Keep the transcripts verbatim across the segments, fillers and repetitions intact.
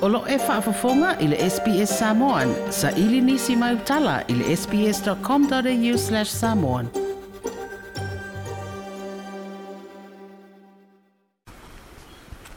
O lo e faafofoga i le S B S Samoan, sa ili nisi mai utala i le sbs.com.au slash samoan.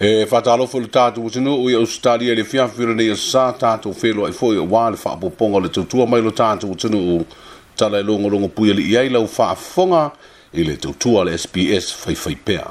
E whātalofo le tātou atunuu i Australia le fiafira nei sa tātou whenua i foi o wā le whaapoponga le tautua mai lo tātou atunuu tala e longo longo pui ali i ai lau whaafonga i le tautua le S B S whaiwhai pea.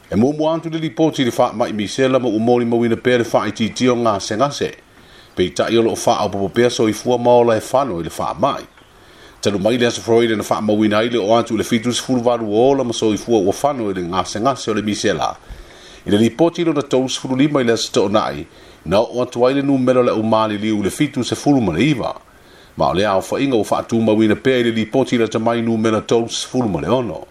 E mumu antu le lipoti le wha mai misela ma umori mawina pea le wha i titio ngā sengase. Pei tai olo o wha au popo pea so i fua maola e whano i le wha mai. Talu mai le aso Freud na wha mawina i le o atu le fitu sefulu valu ola ma so i fua ua whano i le ngā sengase o le misela. I le lipoti lo na tolu sefulu lima i le aso to'onai, na o atu ai le numero le umali liu le fitu sefulu ma le iwa. Ma o le ao whainga o wha mawina pea i le lipoti le tamai numero tolu sefulu ma le ono.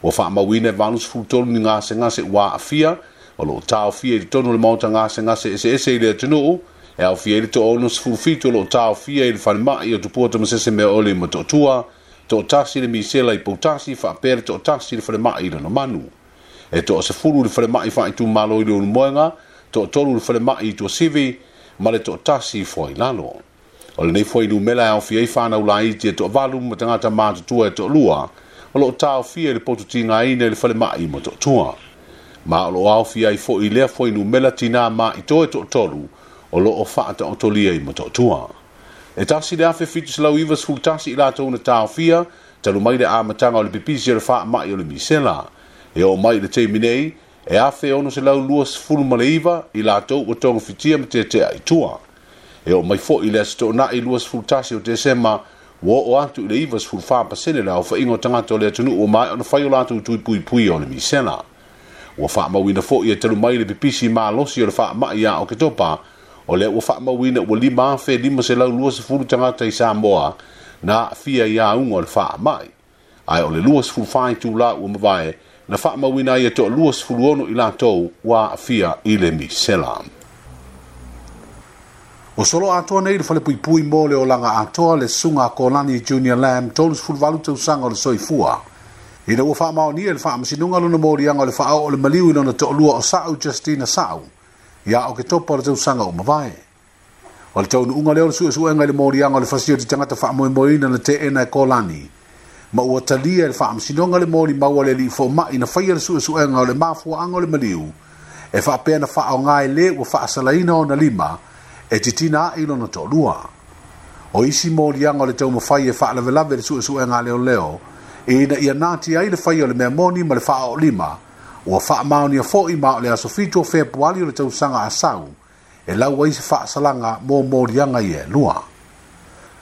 Ua whaamawina e valu sefulu tolu ni ngase ngase ua afia, o lo tau fia i tonu le mauta ngase ngase ese ese i le atunuu, e au fia i le to ono sefulu fitu o lo tau fia i le whalimai o tupua tamasese mea ole ma to'otua, to'otasi le misela i pautasi, whaapea le to'otasi le whalimai i lana manu. E to'a sefulu le whalimai whaitu malo i le ulumoenga, to'otolu le whalimai i tuasivi, ma le to'otasi foi lalo. O le nei foi numela e au fia i whanau laiti e to'avalu ma tangata mātutua e to'olua, o lo tau fia i le potu tinga ina i le whalimai ma to'otua. Ma o lo au fia i fo i lea foi numela tina ma i toe to'otolu, o lo o whaata o tolia i ma to'otua. E tasi le afe fitu selau iwa sefulu tasi i latou na tau fia, talu mai le amatanga o le pipisi o le whaamai o le misela. E o mai le teimi nei, e afe ono selau lua sefulu ma le iwa i latou ua tonga fitia ma tetea i tua. E o mai fo i le aso to'onai lua sefulu tasi o Tesema, ua o atu i le iwa sefulu wha pasene le au whainga o tangata o le atunuu o mai ona whai o lātou tui pui pui o le misela. Ua whaamauina fo i e talu mai le pipisi malosi o le whaamai a o Ketopa, o le ua whaamauina ua lima afe lima selau lua sefulu tangata i Samoa na fia i aunga o le whaamai. Ai o le lua sefulu whai tū la ua mawae, na whaamauina i e toa lua sefulu ono i lātou ua fia i le misela. O solo atoa nei le whale pui pui mō le olanga atoa le sunga Kolani Junior Lamb tolu sefulu valu tausaga o le soifua. Ina ua whaamaonia le whaamasinunga lona mōrianga o le whaao o le maliu i lona to'olua o Sa'u Justina Sa'u ia o ke topa o le tausaga o mavae. O le taunuunga lea o le suesuega i le mōrianga o le fasio te tangata whaamoemoeina na teena e Kolani. Ma ua talia le whaamasinunga le mōri maua le li fōma'i na whaia le suesuega o le mafuaanga o le maliu e whaapea na whaongae le ua whaasalaina o na lima e titina ai lona to'olua. O isi mōrianga o le taumawhai e whaalavelawe le suesuega leo leo, e ina ia nāti ai le whai o le mea moni ma le whaao lima, ua whaamaonia fo'i ma o le aso fitu o Fepuari o le tausaga a sau, e lau ai se whaasalanga mō mōrianga i e lua.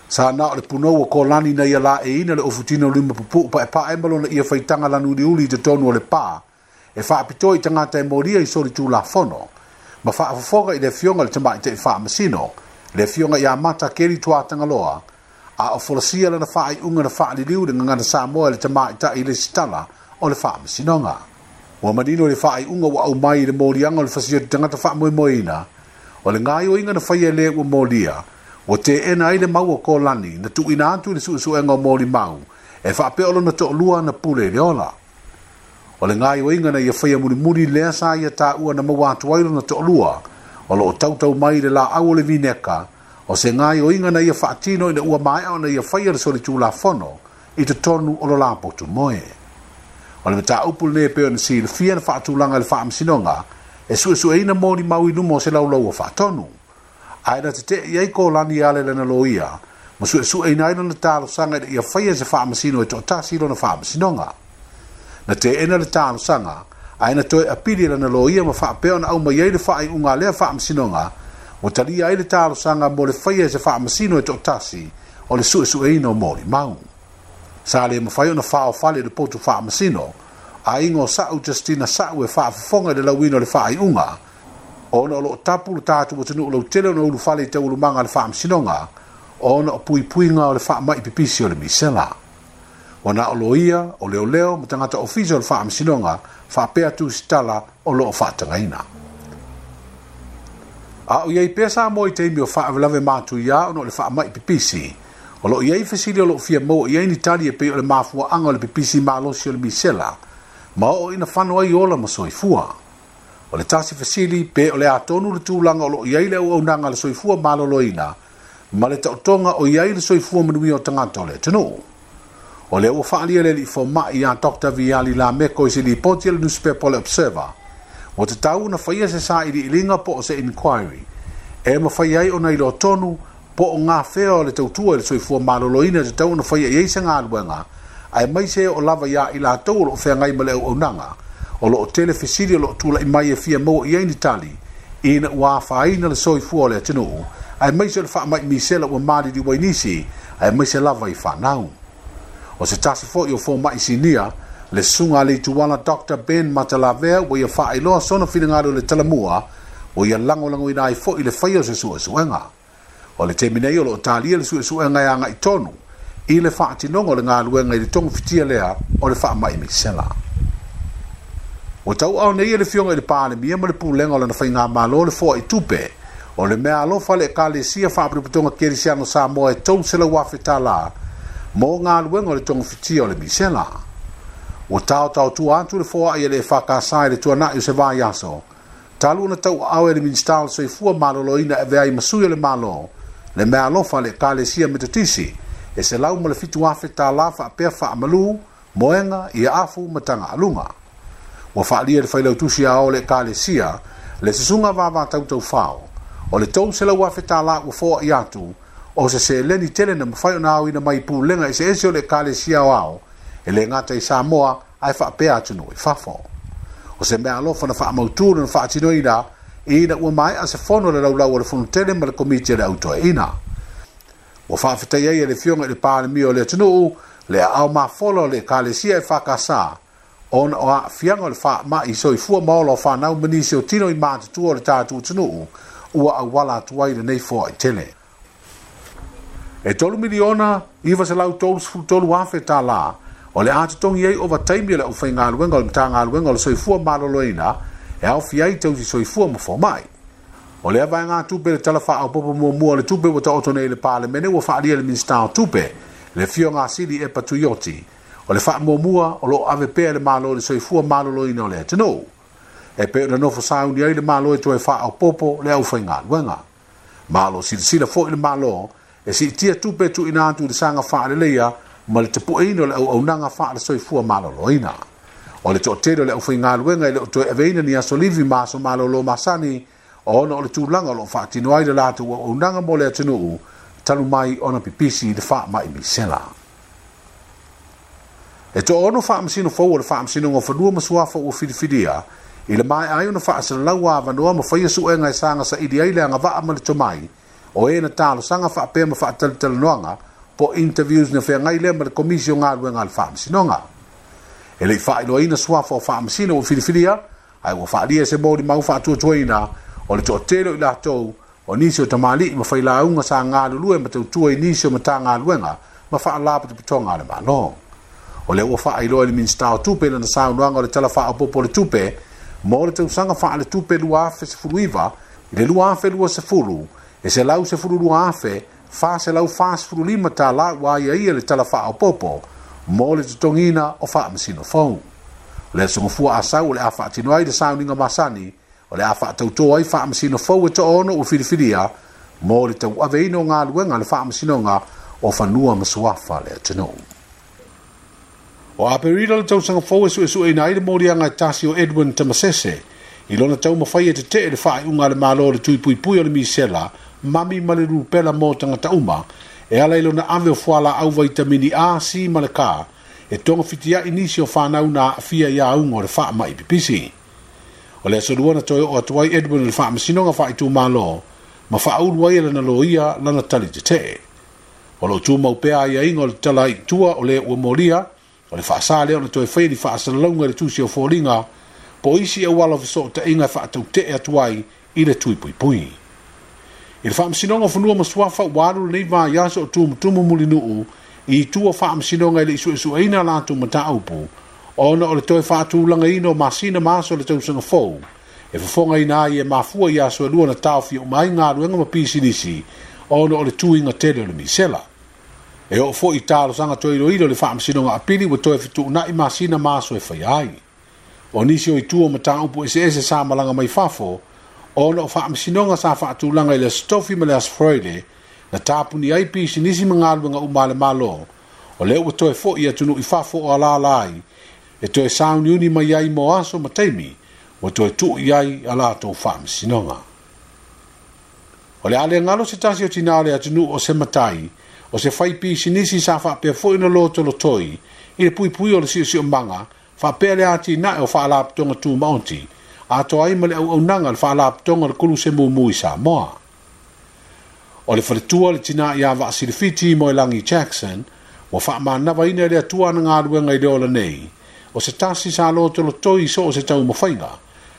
Sa na o le punou o Kolani na ia la e ina le ofutino lima pupu pa e pa e malona ia whaitanga lanuri uli i te tonu o le pā, e whaapito i tangata e mōria i sori tū la fono, ma whaafofoga i le fionga le tamai te whaamasino, le fionga i a mata keri tuatangaloa, a o folasia lana whaai unga na whaaliliu le ngangana Samoa le tamai tai le sitala o le whaamasinonga. Ua manino le whaai unga wa au mai i le mōrianga o le fasio te tangata whaamoemoeina, o le ngai o inga na whaia le ua mōria, o te ena ai le mau o Kolani, na tuina atu i le suesuega o mōri mau, e whaapea o lona to'olua na pule le ola. O le ngai o inga na ia whaia murimuri lea sa ia tāua na maua atu ai lona to'olua, o lo o tautau mai le la au o le vineka, o se ngai o inga na ia whaatino i na ua maea o na ia whaia le soli tū la fono, i te tonu o lo la potu moe. O le mata upu le peo na si le fia na whaatulanga le whaamasinonga, e suesueina mōri mau i lumo o se laulau o whaatonu. Ai na te te iai Kolani ale lena loia, ma suesueina ai lona tālosanga i ia whaia se whaamasino e to'otasi lona whaamasinonga. Na te ena le tālosanga, ai na toe apili lana loia ma whaapea na au mai ai le whaai unga lea whaamasinonga, o talia ai le tālosanga mo le whaia se whaamasino e to'otasi o le suesueina o mōri mau. Sa le mawhai o na whao whale le potu whaamasino, a ingo Sa'u Justina Sa'u e whaafofonga le lauina o le whaai unga, ona o lo tapu le tātu o tunu o lau tele o na ulu whale i te ulumanga le whaamasinonga, ona o puipuinga o le whaamai pipisi o le misela. O na o loia, o leo leo, ma tangata ofisa o le whaamasinonga, whaapea tu sitala o lo o whaatangaina. A o iei pea Samoa i teimi o whaawelawe mātu ia ona o le whaamai pipisi, o lo iei fesili o lo fia maua i ai ni tali e pei o le mafuaanga o le pipisi malosi o le misela, ma o ina whano ai ola ma soifua. O le tasi fesili pe o le atonu le tulaga o loo i ai le auaunaga a le soifua maloloina ma le taotoga o i ai le soifua manuia o tagata o le atunuu. O lea ua faaalia le alii fomai ia Doctor Viali Lameko i se lipoti a le nusipepa o le Observer. Ua tatau ona faia se sailiiliga po o se inquiry e mafai ai ona iloa tonu po o gafea o le tautua i le soifua maloloina e tatau ona faia i ai se galuega, aemaise o lava ia i latou o loo feagai ma le auaunaga. O loo tele fesili o loo tula'i mai e fia maua i ai ni tali ina ua afaina le soifua o le atunuu, aemaise o le faamai misela ua maliliu ai nisi, aemaise lava i fanau. O se tasi foi o fomai sinia, le susuga a Leituala Doctor Ben Matalavea, ua ia faailoa sona finagalo i le talamua, ua ia lagolagoina ai foi le faia o se suesuega. O le taimi nei o loo talia le suesuega e agai tonu i le faatinoga o le galuega i le togafitia lea o le faamai misela. Ua tauaao nei e le Afioga i le Palemia ma le Pulega o lana faigamalo le foai tupe o le meaalofa a le Ekalesia Faaputaputoga Kerisiano Samoa e tolu selau afe tālā mo galuega o le togafitia o le misela. Ua taotaotua atu le foai e le E F K S i le tuanai o se vaiaso talu ona tauaao e le Minisita o le Soifua Maloloina e avea ai ma sui o le Malo le meaalofa a le Ekalesia Metotisi e selau ma le fitu afe tālā faapea faamalu, moega, ia afu ma tagaaluga. Ua faalia le failautusi a o le Ekalesia le susuga Vavatautaufao o le tolu selau afe tālā ua foai atu o se seleni tele na mafai ona aoina mai pulega eseese o le Ekalesia aoao e le gata i Samoa ae faapea atunuu i fafo. O se meaalofa na faamautu na faatinoina ina ua maea se fono le laulau o le fonotele ma le komiti a le autoeina. Ua faafetai ai e le Afioga i le Palemia o le atunuu le aao mafola o le Ekalesia E F K S ona o aafiaga o le faamai soifua ma ola o fanau ma nisi o tino i matutua o le tatou atunuu ua auala atu ai lenei foai tele. E tolu miliona iva selau tolusefulu tolu afe tālā o le a totogi ai ovataimi o le aufaigaluega o le Matagaluega o le Soifua Maloloina e aofia ai tausi soifua ma fomai. O lea vaegatupe le Tala Faaopoopo Muamua o le Tupe ua taoto nei i le Palemene ua faaalia le Minisita o Tupe, le Afioga a Sili Epa Tuioti, o le faamuamua o loo ave pea le Malo i le soifua maloloina o le atunuu. E pei ona nofo sauni ai le Malo e toe faaopoopo le aufaigaluega. Ma o loo silasila foi le Malo e siitia tupe tuuina atu i le saga faaleleia ma le tapueina o le auaunaga faale soifua maloloina. O le toatele o le aufaigaluega e le o toe aveina ni aso livi ma aso malolo masani ona o le tulaga o loo faatino ai le latou auaunaga mo le atunuu talu mai ona pipisi i le faamai misela. E toaono faamasino fou o le Faamasinoga o Fanua ma Suafa ua filifilia i le maea ai ona faasalalau avanoa ma faia suega e saga saili ai le agavaa ma le tomai o e na talosaga faapea ma faatalatalanoaga po interviews na feagai lea ma le Komisi o Galuega a le Faamasinoga. E lei faailoaina suafa o faamasino ua filifilia, ae ua faalia se molimau faatuatuaina o le toatele o i latou o nisi o tamalii ma failauga sa galulue ma tautua i nisi o Matagaluega ma Faalapotopotoga a le Malo. O lea ua faailoa i le Minisita o Tupe lana saunoaga o le Tala Faaopoopo o le Tupe mo le tausaga faaletupe lua afe sefulu iva i le lua afe luasefulu e selau sefulu lua afe fa selau fasefulu lima tālā ua aiaia le Tala Faaopoopo mo le totogiina o faamasino fou. O le aso Gafua Asau o le a faatino ai le sauniga masani o le a faatautō ai faamasino fou e toaono ua filifilia mo le tauaveina o galuega le Faamasinoga o Fanua ma Suafa le atunuu. O Aperila le tausaga fou e suesueina ai le moliaga e tasi o Edwin Tamasese i lona taumafai e tetee le faaiuga a le Malo o le tuipuipui o le misela, mami ma le rupela mo tagata uma e ala i lona ave o fualaau vaitamini A, C ma le K e togafitiai nisi o fanau na aafia i auga o le faamai pipisi. O le aso Lua na toe oo atu ai Edwin i le Faamasinoga Faaitumalo ma faaulu ai e lana loia lana tali tetee. O loo tumau pea aiaiga o le tala i tua o le ua molia o le faasā lea ona toe faia ni faasalalauga i le tusi o foliga po isi auala o fesootaiga e faatautee atu ai i le tuipuipui. I le Faamasinoga o Fanua ma Suafa ua alu lenei vaiaso o tumutumu mulinuu i tua faamasinoga i le isuesueina latou mataupu ona o le toe faatulagaina o masina ma aso o le tausaga fou e fofogaina ai e mafua i aso e lua na taofia uma ai galuega ma pisinisi ona o le tuiga tele o le misela. E oo foi i talosaga toe iloilo le Faamasinoga Apili ua toe fetuunai masina ma aso e faia ai. O nisi o itu o mataupu eseese sa malaga mai fafo, ona o faamasinoga sa faatulaga i le Aso Tofi ma le Aso Faraile, na tapuni ai pisinisi ma galuega uma a le Malo, o lea ua toe fo'i atunuu i fafo o alala ai, e toe sauniuni mai ai mo aso ma taimi, ua toe tuu i ai a latou faamasinoga. O le a le galo se tasi o tinā o le atunuu o se matai, o se fai pisinisi sa faapea fo'i na lotolotoi, i le puipui o le siosiomaga, faapea le atinae o faalapotopotoga tumaoti, atoa ai ma le auaunaga le faalapotopotoga o le koluse mumu i Samoa. O le faletua le tinā ia Vaasilifiti Moelagi Jackson, ua faamanavaina e le Atua ana galuega i le ola nei, o se tasi sa lotolotoi so o se taumafaiga,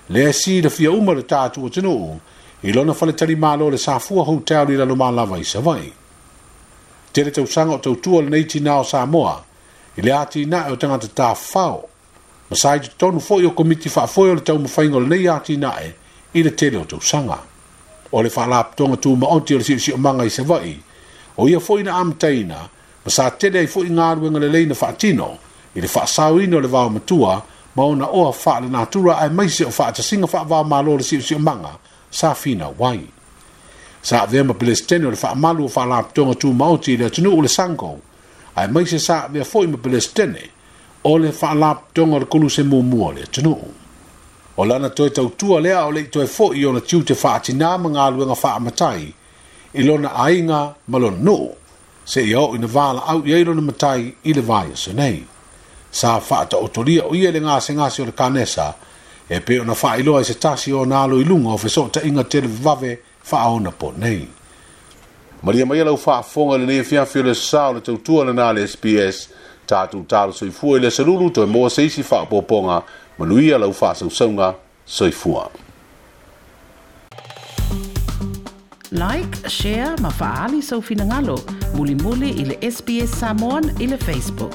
lea silafia uma le tatou atunuu, i lona faletalimalo le Safua Hotel i Lalomalava i Savaii. Tele tausaga o tautua lenei tinā o Samoa, i le atinae o tagata tafafao, ma sa i totonu foi o komiti faafoe o le taumafaiga o lenei atinae i le tele o tausaga. O le faalapotopotoga tumaoti o le siosiomaga i Savaii, o ia foi na amataina, ma sa tele ai foi galuega lelei na faatino, i le faasaoina o le vaomatua, ma ona oa faalenatura aemaise o faatasiga faavaomalo o le siosiomaga sa finau ai. Sa avea ma Pelesitene o le faamalu o faalapotopotoga tumaoti i le atunuu o le Sango, aemaise sa avea foi ma Pelesitene o le faalapotopotoga o le koluse muamua o le atunuu. O lana toe tautua lea o le i toe fo'i ona tiute faatinā ma galuega faamatai i lona aiga ma lona nuu, seia oo ina valaau i ai lona matai i le vaiaso nei. Sa faataotolia o ia i le gasegase o le kanesa, e pei ona faailoa i se tasi o ona alo i luga o fesootaiga televavave faaonapo nei. Malia mai lau faafofoga i lenei afiafi o le sa o le tautua lena a le S B S, tatou talo soifua i le aso lulu toe maua se isi faaopoopoga, manuia lau faasausauga soifua. Like, share ma faali sau finagalo, mulimuli i le S B S Samoan i le Facebook.